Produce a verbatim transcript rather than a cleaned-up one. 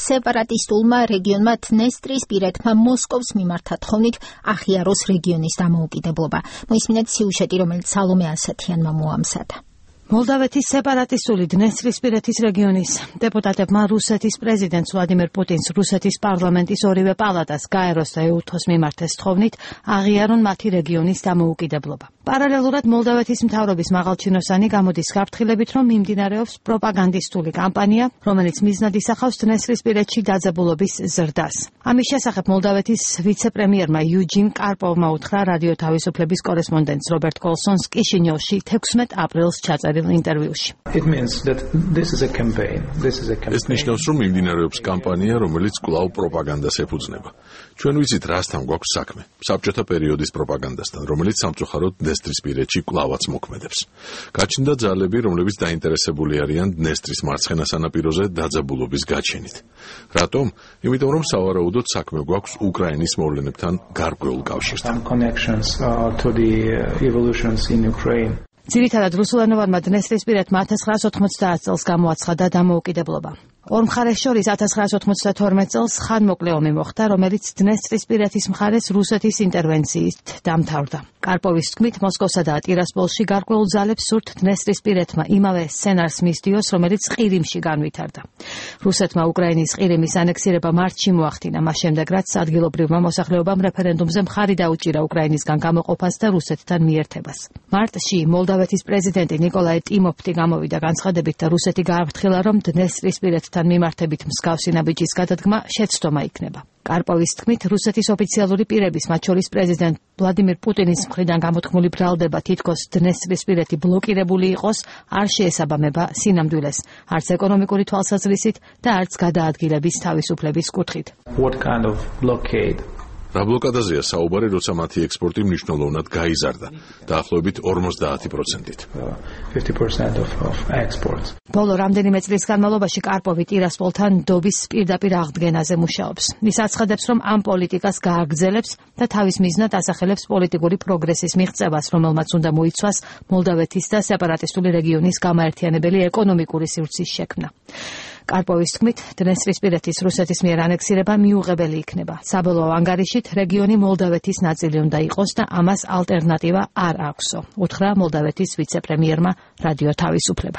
სეპარატისტულმა რეგიონმა დნესტრისპირეთმა მოსკოვს მიმართა თხოვნით აღიაროს რეგიონის დამოუკიდებლობა. მოისმინეთ სიუჟეტი, რომელიც სალომე ასათიანმა მოამზადა. მოლდავეთის სეპარატისტული დნესტრისპირეთის რეგიონის დეპუტატებმა რუსეთის პრეზიდენტს ვლადიმერ პუტინს რუსეთის პარლამენტის ორივე პალატას გაეროს და ეუთოს მიმართეს თხოვნით აღიარონ მათი რეგიონის დამოუკიდებლობა. პარალელურად მოლდავეთის მთავრობის მაღალჩინოსანი გამოდის გაფრთხილებით, რომ მიმდინარეობს პროპაგანდისტული კამპანია, რომელიც მიზნად ისახავს დნესტრისპირეთში დაძაბულობის ზრდას. ამის შესახებ მოლდავეთის ვიცე-პრემიერმა იუჯინ კარპოვმა უთხრა რადიო თავისუფლების კორესპონდენტს რობერტ კოლსონს კიშინიოვში თექვსმეტ აპრილს ჩაწერილ ინტერვიუში. ეს ნიშნავს, რომ მიმდინარეობს კამპანია, რომელიც კვლავ პროპაგანდას ეფუძნება. ჩვენ ვიცით, რასთან გვაქვს საქმე. საბჭოთა პერიოდის პროპაგანდასთან, რომელიც სამწუხაროდ დნესტრისპირეთში კვლავაც მოქმედებს. გაჩნდა ძალები, რომლებიც დაინტერესებული არიან დნესტრის მარცხენა სანაპიროზე დაძაბულობის გაჩენით. რატომ? იმიტომ, რომ სავარაუდოდ საქმე გვაქვს უკრაინის მოვლენებთან გარკვეულ კავშირთან. ძირითადად რუსულენოვანმა დნესტრისპირეთმა ათას ცხრაას ოთხმოცდაათ წელს გამოაცხადა დამოუკიდებლობა. ორ მხარეს შორის ათას ცხრაას ოცდათორმეტ წელს ხანმოკლე ომი მოხდა, რომელიც დნესტრისპირეთის მხარეს რუსეთის ინტერვენციით დამთავრდა. კარპოვის თქმით, მოსკოვსა და ტირასპოლში გარკვეულ ძალებს სურთ დნესტრისპირეთმა იმავე სცენარს მისდიოს, რომელიც ყირიმში განვითარდა. რუსეთმა უკრაინის ყირიმის ანექსირება მარტში მოახდინა, მას შემდეგ რაც ადგილობრივმა მოსახლეობამ რეფერენდუმზე მხარი დაუჭირა უკრაინისგან გამოყოფას და რუსეთთან მიერთებას. მარტში მოლდავეთის პრეზიდენტი ნიკოლაი ტიმოფტი გამოვიდა განცხადებით და რუსეთი გააფრთხილა, რომ დნესტრისპირეთთან მიმართებით მსგავსი ნაბიჯის გადადგმა შეცდომა იქნება. კარპოვის თქმით, რუსეთის ოფიციალური პირების, მათ შორის პრეზიდენტ ვლადიმერ პუტინის მხრიდან გამოთქმული ბრალდება თითქოს დნესტრისპირეთი ბლოკირებული იყოს, არ შეესაბამება სინამდვილეს, არც ეკონომიკური თვალსაზრისით და არც გადაადგილების თავისუფლების კუთხით. რა ბლოკადაზეა საუბარი, როცა მათი ექსპორტი მნიშვნელოვნად გაიზარდა, დაახლოებით ორმოცდაათი პროცენტით. ბოლო რამდენიმე წლის განმავლობაში კარპოვი ტირასპოლთან დობის პირდაპირ აღდგენაზე მუშაობს. ის აცხადებს, რომ ამ პოლიტიკას გააგრძელებს და თავის მიზნად ასახელებს პოლიტიკური პროგრესის მიღწევას, რომელმაც უნდა მოიცვას მოლდავეთის და სეპარატისტული რეგიონის გამაერთიანებელი ეკონომიკური სივრცის შექმნა. კარპოვის თქმით, დნესტრისპირეთის რუსეთის მიერ ანექსირება მიუღებელი იქნება. საბოლოო ანგარიშით რეგიონი მოლდავეთის ნაწილი უნდა იყოს და ამას ალტერნატივა არ აქვსო, უთხრა მოლდავეთის ვიცე-პრემიერმა რადიო თავისუფლებას.